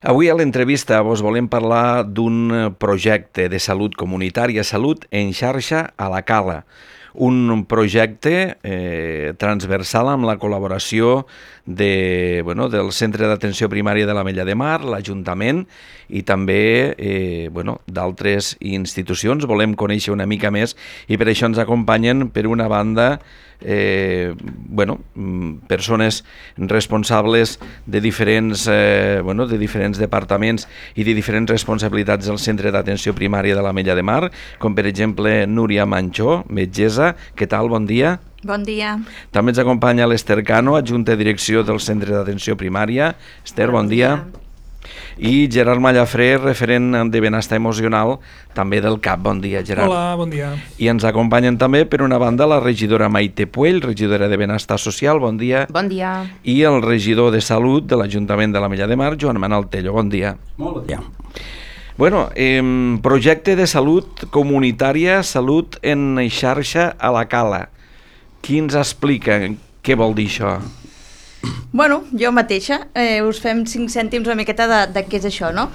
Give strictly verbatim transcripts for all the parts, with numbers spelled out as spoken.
Avui a l'entrevista vos volem parlar d'un projecte de salut comunitària, Salut en xarxa a la Cala. Un projecte eh, transversal amb la col·laboració de, bueno, del Centre d'Atenció Primària de l'Ametlla de Mar, l'Ajuntament i també eh, bueno, d'altres institucions. Volem conèixer una mica més i per això ens acompanyen, per una banda, eh, bueno, persones responsables de diferents, eh, bueno, de diferents departaments i de diferents responsabilitats del Centre d'Atenció Primària de l'Ametlla de Mar, com per exemple Núria Manchó, metgessa. Què tal? Bon dia. Bon dia. També ens acompanya l'Ester Cano, adjunta de direcció del Centre d'Atenció Primària. Ester, bon, bon dia. dia. I Gerard Mallafré, referent de benestar emocional, també del C A P. Bon dia, Gerard. Hola, bon dia. I ens acompanyen també, per una banda, la regidora Maite Puell, regidora de Benestar Social. Bon dia. Bon dia. I el regidor de Salut de l'Ajuntament de l'Ametlla de Mar, Joan Manuel Tello. Bon dia. Molt bon dia. Bueno, eh, projecte de salut comunitària, Salut en xarxa a la Cala. Qui ens explica què vol dir això? Bueno, jo mateixa, eh, us fem cinc cèntims una miqueta de, de què és això, no?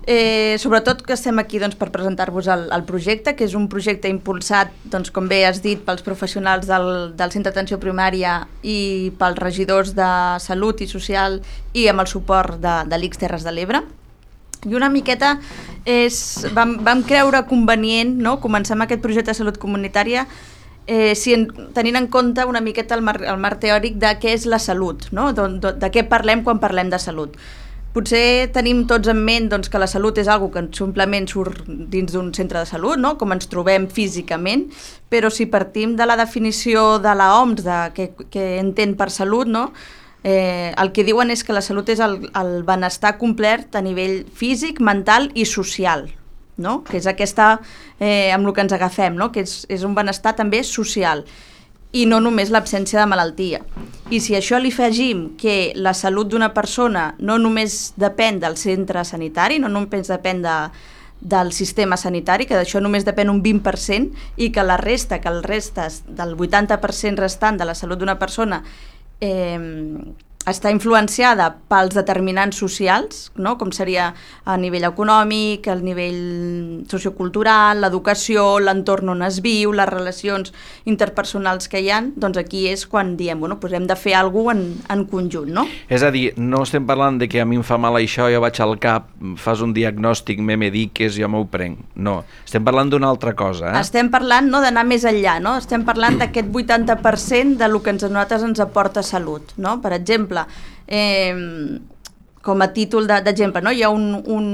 Eh, sobretot que estem aquí doncs, per presentar-vos el, el projecte, que és un projecte impulsat, doncs, com bé has dit, pels professionals del, del Centre d'Atenció Primària i pels regidors de Salut i Social i amb el suport de, de l'I C S Terres de l'Ebre. I una miqueta és, vam, vam creure convenient, no?, començar amb aquest projecte de salut comunitària eh, si en, tenint en compte una miqueta el marc, el marc teòric de què és la salut, no?, de, de, de què parlem quan parlem de salut. Potser tenim tots en ment doncs, que la salut és algo que simplement surt dins d'un centre de salut, no?, com ens trobem físicament, però si partim de la definició de l'O M S, de què, què entén per salut, no?, Eh, el que diuen és que la salut és el, el benestar complet a nivell físic, mental i social, no? Que és aquesta, eh, amb el que ens agafem, no? Que és, és un benestar també social i no només l'absència de malaltia. I si a això li afegim que la salut d'una persona no només depèn del centre sanitari, no només depèn de, del sistema sanitari, que d'això només depèn un vint per cent, i que la resta, que el restes del vuitanta per cent restant de la salut d'una persona Eh, està influenciada pels determinants socials, no?, com seria a nivell econòmic, a nivell sociocultural, l'educació, l'entorn on es viu, les relacions interpersonals que hi ha, doncs aquí és quan diem, bueno, doncs hem de fer alguna cosa en, en conjunt, no? És a dir, no estem parlant de que a mi em fa mal això, jo vaig al cap, fas un diagnòstic, me mediques, jo m'ho prenc. No, estem parlant d'una altra cosa. Eh? Estem parlant, no, d'anar més enllà, no? Estem parlant d'aquest vuitanta per cent de lo que ens, a nosaltres ens aporta salut, no? Per exemple, Eh, com a títol d'exemple, no? Hi ha un, un,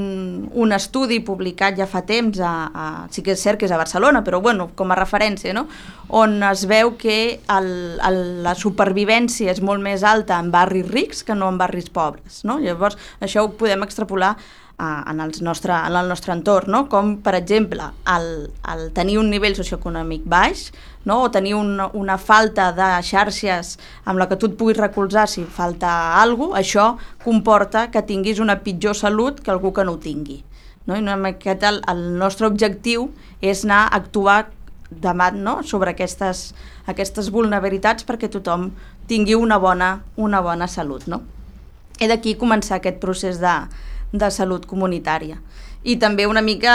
un estudi publicat ja fa temps, a, a, sí que és cert que és a Barcelona, però bueno, com a referència, no? On es veu que el, el, la supervivència és molt més alta en barris rics que no en barris pobres, no? Llavors això ho podem extrapolar a, en, el nostre, en el nostre entorn, no? Com per exemple el, el tenir un nivell socioeconòmic baix, no? O tenir una, una falta de xarxes amb la que tu et puguis recolzar si falta alguna cosa, això comporta que tinguis una pitjor salut que algú que no ho tingui, no? I una miqueta el, el nostre objectiu és anar a actuar davant, no?, sobre aquestes, aquestes vulnerabilitats perquè tothom tingui una bona, una bona salut, no? He d'aquí començar aquest procés de, de salut comunitària. I també una mica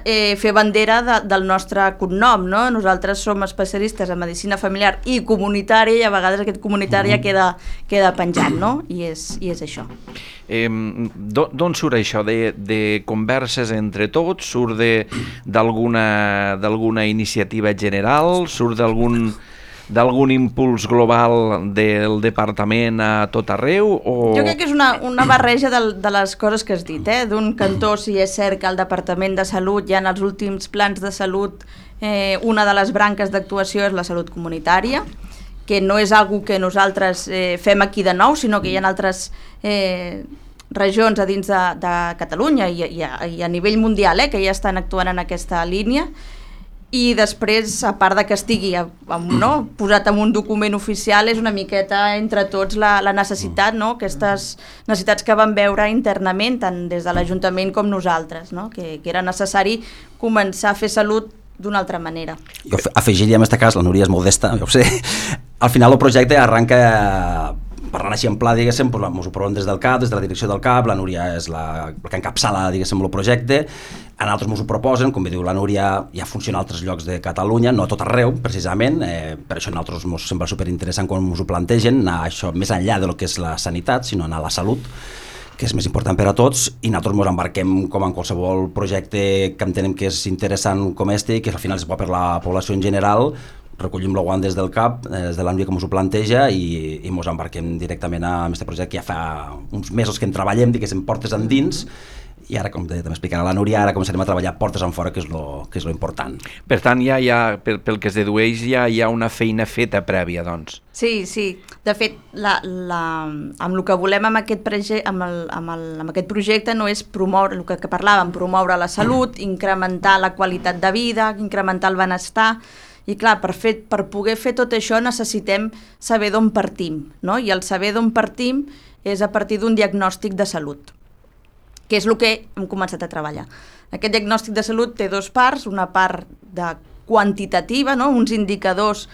eh, fer bandera de, del nostre cognom, no? Nosaltres som especialistes en medicina familiar i comunitària i a vegades aquest comunitària mm. queda, queda penjat, no? I és, i és això. Eh, D'on surt això? De, de converses entre tots? Surt d'alguna d'alguna iniciativa general? Surt d'algun d'algun impuls global del departament a tot arreu? O... Jo crec que és una, una barreja de, de les coses que has dit, eh? D'un cantó, si és cert que el Departament de Salut ja en els últims plans de salut eh, una de les branques d'actuació és la salut comunitària, que no és algo que nosaltres eh, fem aquí de nou, sinó que hi ha altres eh, regions a dins de, de Catalunya i, i, a, i a nivell mundial eh, que ja estan actuant en aquesta línia. I després, a part de que estigui no, posat en un document oficial, és una miqueta entre tots la, la necessitat, no? Aquestes necessitats que vam veure internament, tant des de l'Ajuntament com nosaltres, no? que, que era necessari començar a fer salut d'una altra manera. Jo afegiria en aquest cas, la Núria és modesta, jo ho sé, al final el projecte arranca parlant així en pla, diguéssim, doncs, ens ho provem des del C A P, des de la direcció del C A P, la Núria és la, la que encapçala, diguéssim, el projecte, a nosaltres ens ho proposen, com bé diu la Núria, ja funciona a altres llocs de Catalunya, no a tot arreu, precisament, eh, per això a nosaltres ens sembla superinteressant quan ens ho plantegen, anar això més enllà de lo que és la sanitat, sinó anar a la salut, que és més important per a tots, i nosaltres ens embarquem com en qualsevol projecte que entenem que és interessant com este, que al final és bo per la població en general. Recollim el guant des del C A P, des de l'Ànvia com us ho planteja, i, i ens embarquem directament a aquest projecte que ja fa uns mesos que en treballem, diguéssim, portes endins, i ara, com també explicarà la Núria, ara començarem a treballar portes en fora, que és lo, que és lo important. Per tant, ja hi ha, pel, pel que es dedueix, ja hi ha una feina feta prèvia, doncs. Sí, sí. De fet, la, la, amb el que volem amb aquest, prege, amb el, amb el, amb aquest projecte no és promoure, el que, que parlàvem, promoure la salut, mm. incrementar la qualitat de vida, incrementar el benestar, i clar, per, fer, per poder fer tot això necessitem saber d'on partim, no? I el saber d'on partim és a partir d'un diagnòstic de salut, que és el que hem començat a treballar. Aquest diagnòstic de salut té dues parts, una part de quantitativa, no? Uns indicadors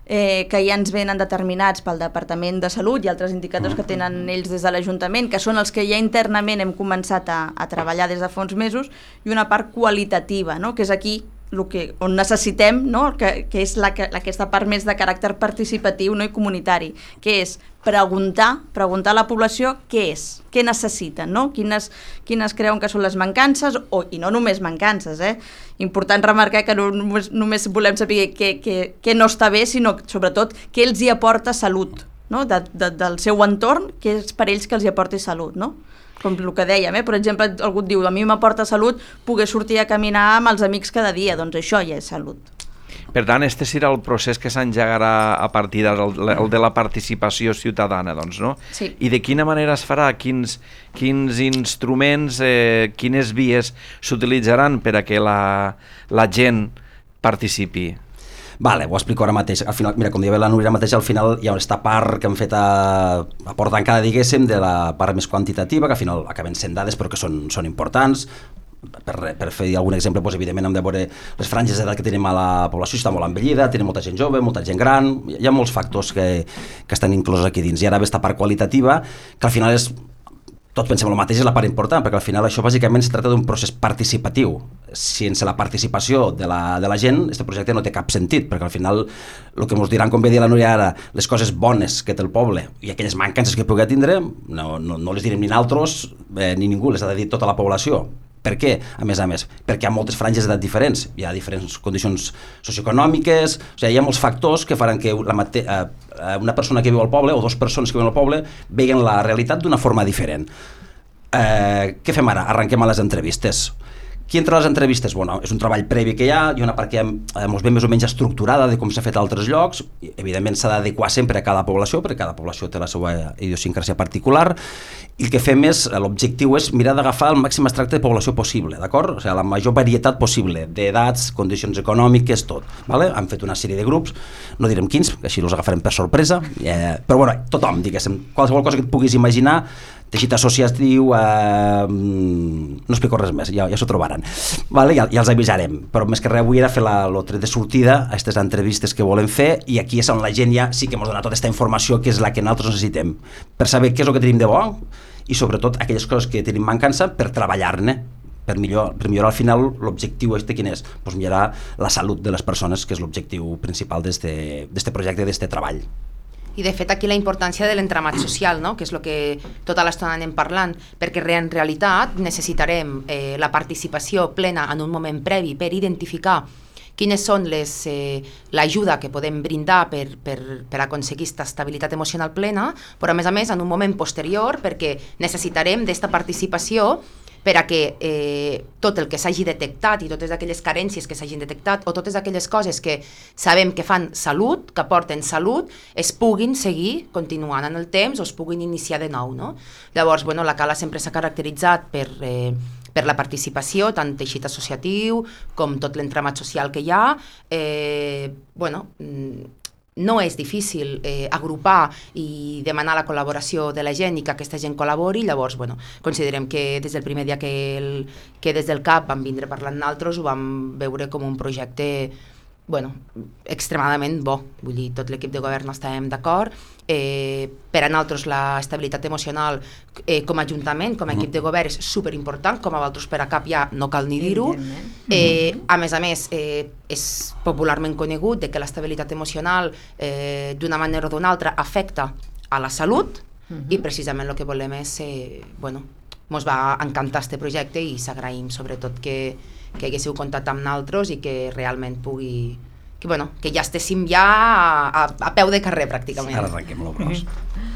eh, que ja ens venen determinats pel Departament de Salut i altres indicadors que tenen ells des de l'Ajuntament, que són els que ja internament hem començat a, a treballar des de fa uns mesos, i una part qualitativa, no? Que és aquí el que, on necessitem, no? que, que és la, que, aquesta part més de caràcter participatiu, no? I comunitari, que és preguntar, preguntar a la població què és, què necessiten, no? quines, quines creuen que són les mancances, o, i no només mancances, eh? Important remarcar que no només, només volem saber què, què, què no està bé, sinó sobretot què els hi aporta salut, no? de, de, del seu entorn, què és per ells que els hi aporti salut, no? Com el que dèiem, eh? Per exemple, algú et diu, a mi m'aporta salut poder sortir a caminar amb els amics cada dia, doncs això ja és salut. Per tant, este serà el procés que s'engegarà a partir del el de la participació ciutadana, doncs, no? Sí. I de quina manera es farà? Quins, quins instruments, eh, quines vies s'utilitzaran per a que la, la gent participi? Vale, ho explico ara mateix. Al final, mira, com deia la Núria mateix, al final hi ha aquesta part que hem fet a, a porta tancada, diguéssim, de la part més quantitativa, que al final acaben sent dades però que són, són importants. Per, per fer algun exemple, doncs, evidentment hem de veure les franges d'edat que tenim a la població, està molt envellida, tenim molta gent jove, molta gent gran, hi ha molts factors que, que estan inclosos aquí dins. I ara ve aquesta part qualitativa, que al final és, tots pensem el mateix, és la part important, perquè al final això bàsicament es tracta d'un procés participatiu. Sense la participació de la, de la gent, aquest projecte no té cap sentit, perquè al final el que ens diran, com bé dir la Núria ara, les coses bones que té el poble i aquelles mancances que pugui tindre, no, no, no les direm ni nosaltres eh, ni ningú, les ha de dir tota la població. Per què? A més a més, perquè hi ha moltes franges d'edat diferents, hi ha diferents condicions socioeconòmiques, o sigui, hi ha molts factors que faran que la mate eh, una persona que viu al poble o dues persones que viuen al poble veguen la realitat d'una forma diferent. Eh, què fem ara? Arrenquem a les entrevistes. Qui entra a les entrevistes? Bueno, és un treball previ que hi ha, hi ha una part que ja ens ve més o menys estructurada de com s'ha fet a altres llocs, i, evidentment s'ha d'adequar sempre a cada població, perquè cada població té la seva idiosincràsia particular, i el que fem és, l'objectiu és mirar d'agafar el màxim extracte de població possible, d'acord? O sigui, la major varietat possible, d'edats, condicions econòmiques, tot. Vale? Han fet una sèrie de grups, no direm quins, que així els agafarem per sorpresa, eh, però bueno, tothom, diguéssim, qualsevol cosa que et puguis imaginar, teixit associatiu, eh, no explico res més, ja, ja s'ho trobaran, vale? ja, ja els avisarem, però més que res avui era fer la, el tret de sortida a aquestes entrevistes que volem fer, i aquí és on la gent ja sí que ens dona tota aquesta informació que és la que nosaltres necessitem, per saber què és el que tenim de bo i sobretot aquelles coses que tenim mancança per treballar-ne, per, millor, per millorar al final l'objectiu este quin és? Pues millorar la salut de les persones, que és l'objectiu principal d'este projecte, d'este treball. I de fet aquí la importància de l'entramat social, no? Que és el que tota l'estona anem parlant, perquè en realitat necessitarem eh, la participació plena en un moment previ per identificar quines són les eh, l'ajuda que podem brindar per, per, per aconseguir aquesta estabilitat emocional plena, però a més a més en un moment posterior, perquè necessitarem d'esta participació per a que eh, tot el que s'hagi detectat i totes aquelles carències que s'hagin detectat o totes aquelles coses que sabem que fan salut, que aporten salut, es puguin seguir continuant en el temps o es puguin iniciar de nou, no? Llavors, bueno, la Cala sempre s'ha caracteritzat per, eh, per la participació, tant teixit associatiu com tot l'entramat social que hi ha. Eh, bueno, no és difícil eh, agrupar i demanar la col·laboració de la gent i que aquesta gent col·labori, llavors, bueno, considerem que des del primer dia que, el, que des del C A P vam vindre parlant nosaltres ho vam veure com un projecte bueno, extremadament bo. Vull dir, tot l'equip de govern estàvem d'acord. Eh, per a nosaltres l'estabilitat emocional eh, com a ajuntament, com a equip de govern és superimportant, com a vosaltres per a cap ja no cal ni dir-ho. Eh, a més a més, eh, és popularment conegut de que l'estabilitat emocional eh, d'una manera o d'una altra afecta a la salut uh-huh. i precisament el que volem és, eh, bueno, ens va encantar este projecte i s'agraïm sobretot que, que haguéssiu comptat amb nosaltres i que realment pugui que, bueno, que ja estéssim ja a, a peu de carrer pràcticament. Ara arrenquem l'obros. Mm-hmm.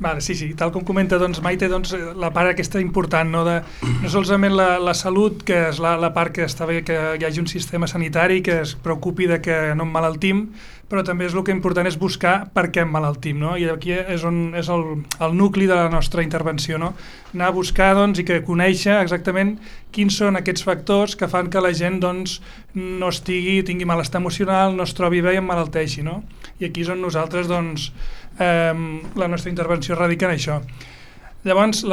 Vale, sí, sí, tal com comenta doncs, Maite, doncs, la part aquesta important, no, de, no solament la, la salut, que és la, la part que està bé que hi hagi un sistema sanitari que es preocupi de que no emmalaltim, però també és el que important és buscar per què emmalaltim, no? I aquí és, on, és el, el nucli de la nostra intervenció, no? Anar a buscar doncs, i que conèixer exactament quins són aquests factors que fan que la gent doncs, no estigui, tingui malestar emocional, no es trobi bé i emmalalteixi, no? I aquí és on nosaltres, doncs, eh, la nostra intervenció radica en això. Llavors,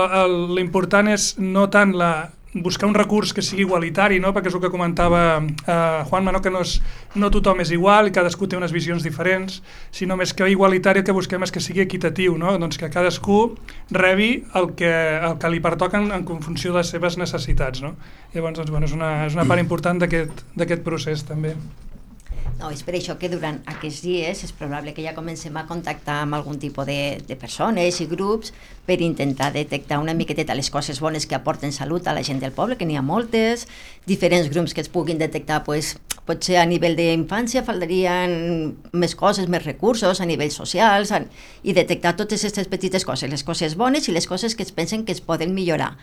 l'important és no tant la buscar un recurs que sigui igualitari, no? Perquè és el que comentava eh, Juanma, no? Que no, és, no tothom és igual i cadascú té unes visions diferents, sinó més que igualitari el que busquem és que sigui equitatiu, no? Doncs que cadascú rebi el que, el que li pertoca en, en funció de les seves necessitats, no? Llavors, doncs, bueno, és, una, és una part important d'aquest procés també. No, és per això que durant aquests dies és probable que ja comencem a contactar amb algun tipus de, de persones i grups per intentar detectar una miqueteta les coses bones que aporten salut a la gent del poble, que n'hi ha moltes, diferents grups que es puguin detectar, pues, potser a nivell d'infància faltarien més coses, més recursos a nivells socials, a, i detectar totes aquestes petites coses, les coses bones i les coses que es pensen que es poden millorar.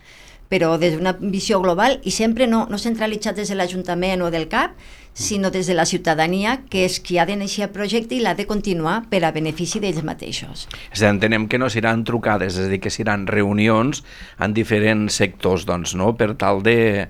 Però des d'una visió global i sempre no, no centralitzat des de l'Ajuntament o del C A P, sinó des de la ciutadania, que és qui ha d'iniciar el projecte i l'ha de continuar per a benefici d'ells mateixos. És a dir, entenem que no seran trucades, és a dir, que seran reunions en diferents sectors, doncs, no?, per tal de,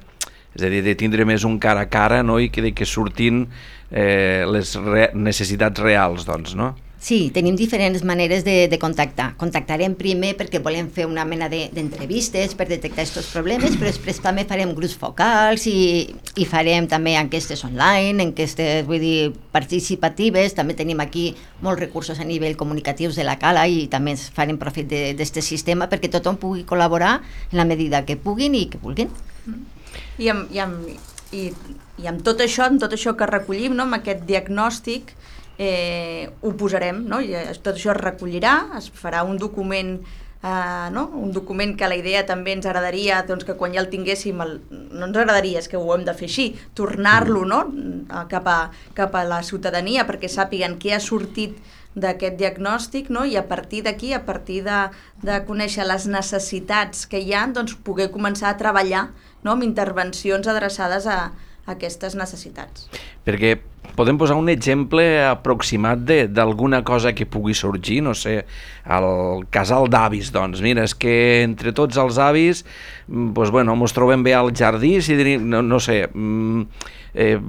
és a dir, de tindre més un cara a cara, no?, i que, de que surtin eh, les re necessitats reals, doncs, no? Sí, tenim diferents maneres de, de contactar. Contactarem primer perquè volem fer una mena d'entrevistes per detectar aquests problemes, però després també farem grups focals i, i farem també enquestes online, enquestes, vull dir, participatives. També tenim aquí molts recursos a nivell comunicatius de la Cala i també farem profit d'aquest sistema perquè tothom pugui col·laborar en la medida que puguin i que vulguin. I amb, i amb, i, i amb tot això, amb tot això que recollim, no?, amb aquest diagnòstic, Eh, ho posarem, no? I tot això es recollirà, es farà un document, eh, no? Un document que la idea també ens agradaria, doncs, que quan ja el tinguéssim, el, no ens agradaria, és que ho hem de fer així, tornar-lo, no?, cap a, cap a la ciutadania perquè sàpiguen què ha sortit d'aquest diagnòstic, no? I a partir d'aquí, a partir de, de conèixer les necessitats que hi ha, doncs poder començar a treballar, no?, amb intervencions adreçades a aquestes necessitats. Perquè podem posar un exemple aproximat d'alguna cosa que pugui sorgir, no sé, el casal d'avis, doncs, mira, és que entre tots els avis, doncs, bueno, ens trobem bé al jardí, si diríem, no, no sé, eh,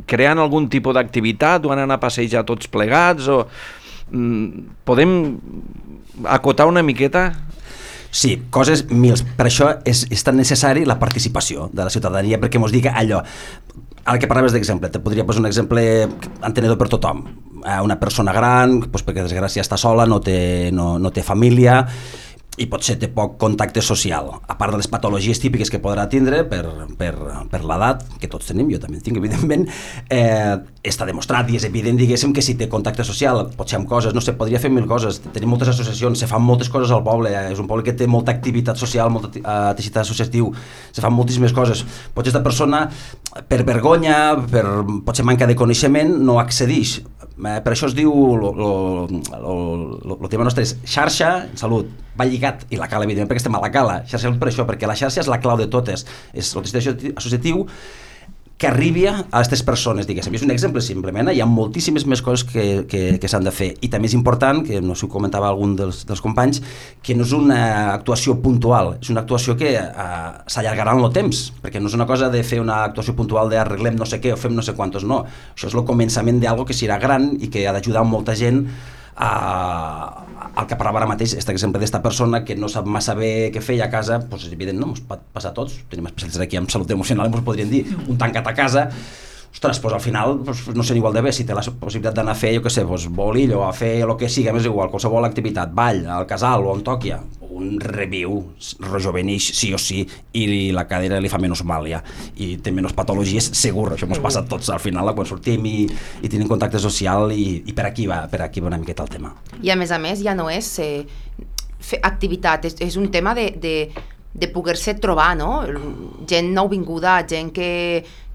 creant algun tipus d'activitat o anant a passejar tots plegats, o podem acotar una miqueta? Sí, coses mils. Per això és, és tan necessari la participació de la ciutadania, perquè mos diga allò. Ara que parlaves d'exemple, te podria posar un exemple entenedor per tothom. Una persona gran, doncs perquè desgràcia està sola, no té, no, no té família, i potser té poc contacte social, a part de les patologies típiques que podrà tindre per, per, per l'edat, que tots tenim, jo també en tinc, evidentment, eh, està demostrat i és evident, diguéssim, que si té contacte social, potser amb coses, no sé, podria fer mil coses, tenim moltes associacions, se fan moltes coses al poble, eh, és un poble que té molta activitat social, molt uh, teixit associatiu, se fan moltíssimes coses, potser aquesta persona, per vergonya, per potser manca de coneixement, no accedeix. Eh, per això es diu, el tema nostre és xarxa, salut, va lligat, i la Cala, evidentment, perquè estem a la Cala, xarxa per això, perquè la xarxa és la clau de totes, és el teixit associatiu que arribi a aquestes persones, diguéssim. És un exemple, simplement, hi ha moltíssimes més coses que, que, que s'han de fer, i també és important, que no sé si ho comentava algun dels, dels companys, que no és una actuació puntual, és una actuació que uh, s'allargarà en el temps, perquè no és una cosa de fer una actuació puntual d'arreglem no sé què o fem no sé quantos, no. Això és el començament d'algo que serà gran i que ha d'ajudar molta gent a... el que parlava ara mateix, aquest exemple d'esta persona que no sap massa bé què fer a casa, doncs és evident, no, ens pot passar a tots, tenim especialistes aquí en salut emocional, ens podrien dir, un tancat a casa, ostres, doncs al final doncs, no sé igual de bé, si té la possibilitat d'anar a fer, jo què sé, doncs, boli o a fer el que sigui, més igual, qualsevol activitat, ball, al casal o on toqui, un reviu, rejovenix sí o sí, i la cadera li fa menys mal ja, i té menys patologies, segur, això ens passa a tots al final, quan sortim i, i tenim contacte social, i, i per aquí va, per aquí va una miqueta el tema. I a més a més ja no és eh, fer activitat, és, és un tema de, de, de poder-se trobar, no? Gent nouvinguda, gent que,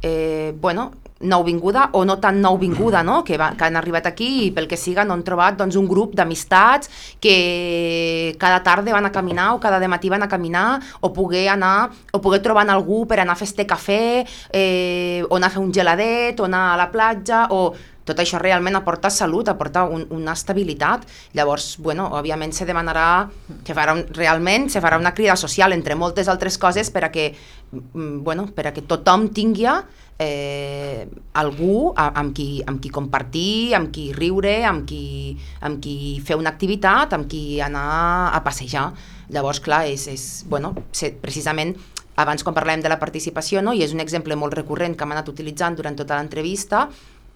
eh, bueno, nouvinguda o no tan nouvinguda, no? Que, va, que han arribat aquí i pel que siga no han trobat doncs, un grup d'amistats que cada tarda van a caminar o cada dematí van a caminar o poder anar o poder trobar algú per anar a fer este cafè eh, o anar a fer un geladet o anar a la platja o tot això realment aporta salut, aporta un, una estabilitat. Llavors, bueno, òbviament se demanarà, se farà un, realment se farà una crida social entre moltes altres coses per a que, bueno, per a que tothom tingui eh, algú amb qui, amb qui compartir, amb qui riure, amb qui, amb qui fer una activitat, amb qui anar a passejar. Llavors, clar, és, és bueno, precisament abans quan parlàvem de la participació, no? I és un exemple molt recurrent que hem anat utilitzant durant tota l'entrevista,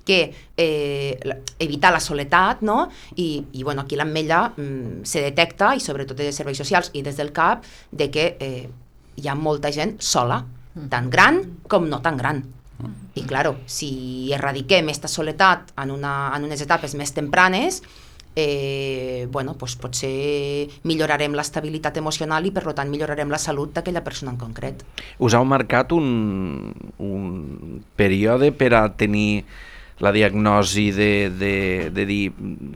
que eh, evitar la soledat, no? I, i bueno, aquí l'Ametlla mm, se detecta, i sobretot des de serveis socials i des del C A P, de que eh, hi ha molta gent sola, tan gran com no tan gran. I claro, si erradiquem aquesta soledat en, una, en unes etapes més tempranes, eh, bueno, pues potser millorarem l'estabilitat emocional i per tant millorarem la salut d'aquella persona en concret. Us heu marcat un, un període per a tenir la diagnosi de, de, de dir,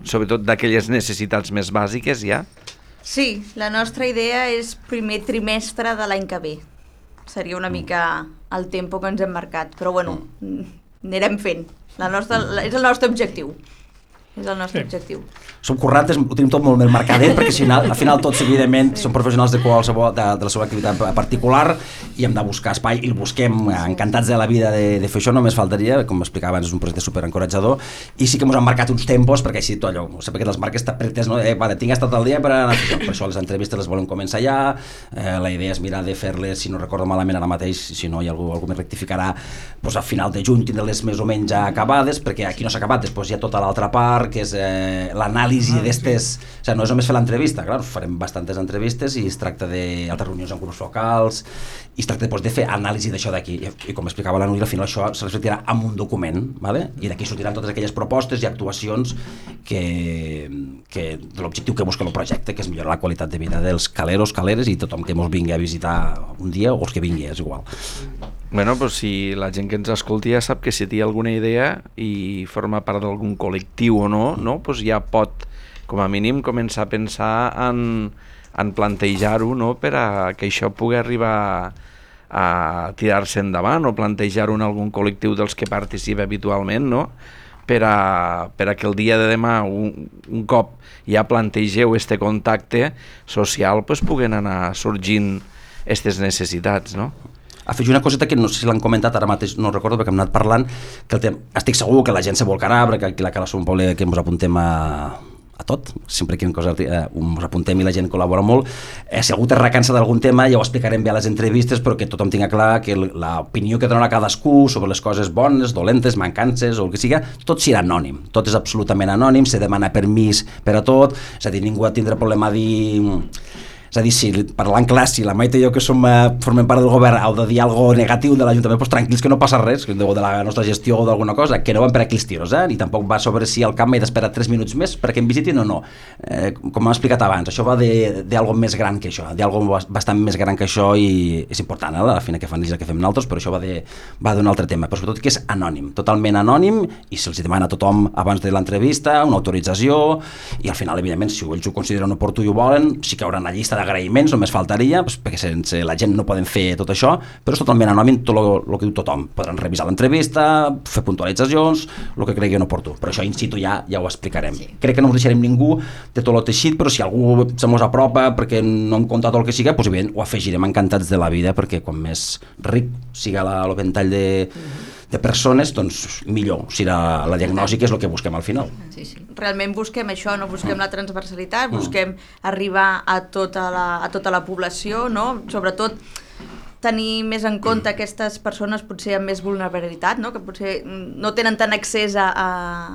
sobretot d'aquelles necessitats més bàsiques, ja? Sí, la nostra idea és primer trimestre de l'any que ve. Seria una mica el tempo que ens hem marcat, però bueno, anirem fent. La nostra, és el nostre objectiu. És el nostre sí. objectiu. Som currantes, ho tenim tot molt més marcadet, perquè si al final tots, evidentment, sí. som professionals de qualsevol de, de la seva activitat particular i hem de buscar espai i el busquem, encantats de la vida de, de fer això, només faltaria, com explicava abans, és un projecte superencoratjador, i sí que ens han marcat uns tempos, perquè així tot allò, sempre que les marques estan pretes, no? Eh, vale, tinc estat el dia per anar a fer això, per això les entrevistes les volem començar ja, eh, la idea és mirar de fer-les, si no recordo malament ara mateix, si no hi ha algú, algú més rectificarà, doncs a final de juny tindre-les més o menys ja acabades, perquè aquí no s'ha acabat, després hi ha tota l'altra part, que és eh, l'anàlisi ah, d'estes... Sí. O sigui, no és només fer l'entrevista, clar, farem bastantes entrevistes i es tracta d'altres reunions amb grups locals i es tracta doncs, de fer anàlisi d'això d'aquí. I, I com explicava la Núria, al final això se reflectirà en un document, ¿vale? I d'aquí sortiran totes aquelles propostes i actuacions que, que de l'objectiu que busca el projecte, que és millorar la qualitat de vida dels caleros, caleres i tothom que ens vingui a visitar un dia o els que vingui, és igual. Bueno, pues si la gent que ens escolti ja sap que si té alguna idea i forma part d'algun col·lectiu o no, no, pues ja pot, com a mínim, començar a pensar en, en plantejar-ho, no, per a que això pugui arribar a tirar-se endavant o plantejar-ho en algun col·lectiu dels que participa habitualment, no? Per a, per a que el dia de demà, un, un cop ja plantegeu este contacte social, pues puguen anar sorgint aquestes necessitats, no? Afegir una coseta que no sé si l'han comentat ara mateix, no recordo perquè hem anat parlant, que el tema, estic segur que la gent se volcarà, perquè aquí la Cala som un poble que ens apuntem a, a tot, sempre que cosa, eh, ens apuntem i la gent col·labora molt. Eh, si algú te recansa d'algun tema ja ho explicarem bé a les entrevistes, però que tothom tinga clar que l'opinió que donarà cadascú sobre les coses bones, dolentes, mancances o el que siga, tot serà anònim, tot és absolutament anònim, se demana permís per a tot, és a dir, ningú ha de tindre problema a dir... És a dir, si parlant clar, si la Maite i jo que som, eh, formem part del govern heu de dir alguna cosa negatiu de l'Ajuntament, doncs tranquils que no passa res, o de la nostra gestió o d'alguna cosa, que no van per aquí els tiros, eh? Ni tampoc va sobre si al camp he d'esperar tres minuts més perquè em visitin o no. Eh, com hem explicat abans, això va d'algo més gran que això, d'algo bastant més gran que això i és important, eh? A la fina que fan ells el que fem nosaltres, però això va d'un altre tema, però sobretot que és anònim, totalment anònim, i se'ls demana a tothom abans de l'entrevista una autorització i al final, evidentment, si ells ho consideren oportú i ho volen, sí que haurà una llista d'agraïments, només faltaria, doncs, perquè sense la gent no poden fer tot això, però és totalment anònim tot el que diu tothom. Podran revisar l'entrevista, fer puntualitzacions, el que creguin oportú, però això in situ ja, ja ho explicarem. Sí. Crec que no us deixarem ningú de tot el teixit, però si algú se mos apropa perquè no hem comptat el que siga, doncs evident, ho afegirem encantats de la vida, perquè quan més ric siga la, el ventall de... Mm-hmm. de persones, doncs millor serà la diagnosi, que és el que busquem al final. Sí, sí. Realment busquem això, no busquem la transversalitat, busquem arribar a tota la, a tota la població, no? Sobretot tenir més en compte aquestes persones potser amb més vulnerabilitat, no? Que potser no tenen tant accés a, a,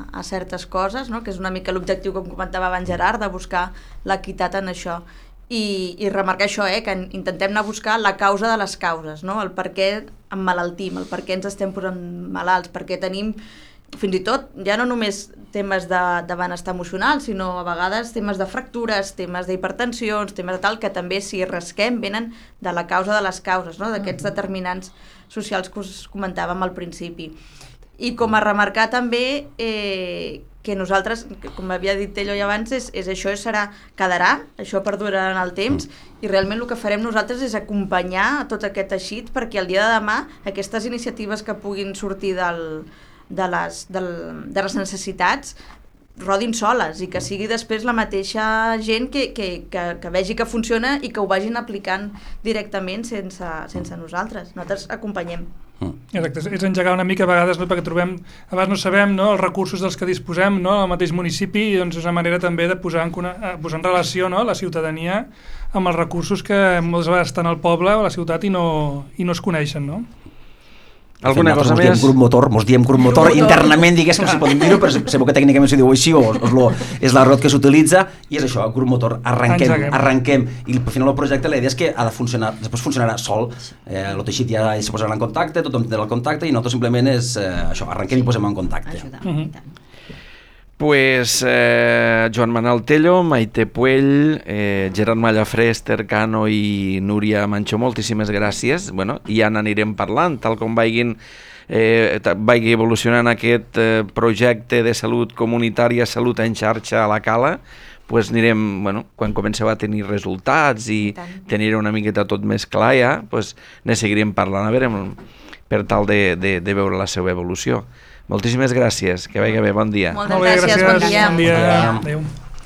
a certes coses, no? Que és una mica l'objectiu, com comentava abans Gerard, de buscar l'equitat en això. I, i remarcar això, eh, que intentem anar a buscar la causa de les causes, no? El per què emmalaltim, el per què ens estem posant malalts, perquè tenim fins i tot, ja no només temes de, de benestar emocional, sinó a vegades temes de fractures, temes d'hipertensions, temes de tal, que també, si rasquem, venen de la causa de les causes, no? D'aquests determinants socials que us comentàvem al principi. I com a remarcar també eh, que nosaltres, com havia dit ell abans, és, és això serà, quedarà, això perdurarà en el temps, i realment el que farem nosaltres és acompanyar a tot aquest teixit perquè el dia de demà aquestes iniciatives que puguin sortir del de les, del, de les necessitats rodin soles i que sigui després la mateixa gent que, que, que, que vegi que funciona i que ho vagin aplicant directament sense, sense nosaltres. Nosaltres acompanyem. Exacte, és engegar una mica a vegades, no, perquè trobem, a vegades no sabem, no, els recursos dels que disposem, no, al mateix municipi, i doncs és una manera també de posar en, posar en relació, no, la ciutadania amb els recursos que moltes vegades estan al poble o a la ciutat i no, i no es coneixen, no? Alguna cosa mos més? Diem grup motor, mos diem grup motor, grup internament, diguéssim, si podem dir-ho, però segur que tècnicament s'ho diu així, o, o lo, és l'arrot que s'utilitza, i és això, grup motor, arrenquem, Engeguem. arrenquem, i al final el projecte, la idea és que ha de funcionar, després funcionarà sol, eh, el teixit ja se posarà en contacte, tothom tindrà el contacte, i nosaltres simplement és eh, això, arrenquem i posem en contacte. Ajudar, Uh-huh. i tant. Pues eh, Joan Manel Tello, Maite Puell, eh, Gerard Mallafré, Esther Cano i Núria Manxó, moltíssimes gràcies. Bueno, i ja n'anirem parlant, tal com vagin, eh, vagi evolucionant aquest eh, projecte de salut comunitària, salut en xarxa a la Cala, pues anirem, bueno, quan comenceu a tenir resultats i tenir una miqueta tot més clar ja, pues ne seguirem parlant, a veure, per tal de, de, de veure la seva evolució. Moltíssimes gràcies, que vagi bé, bon dia. Moltes gràcies, bon dia. Bon dia. Adéu.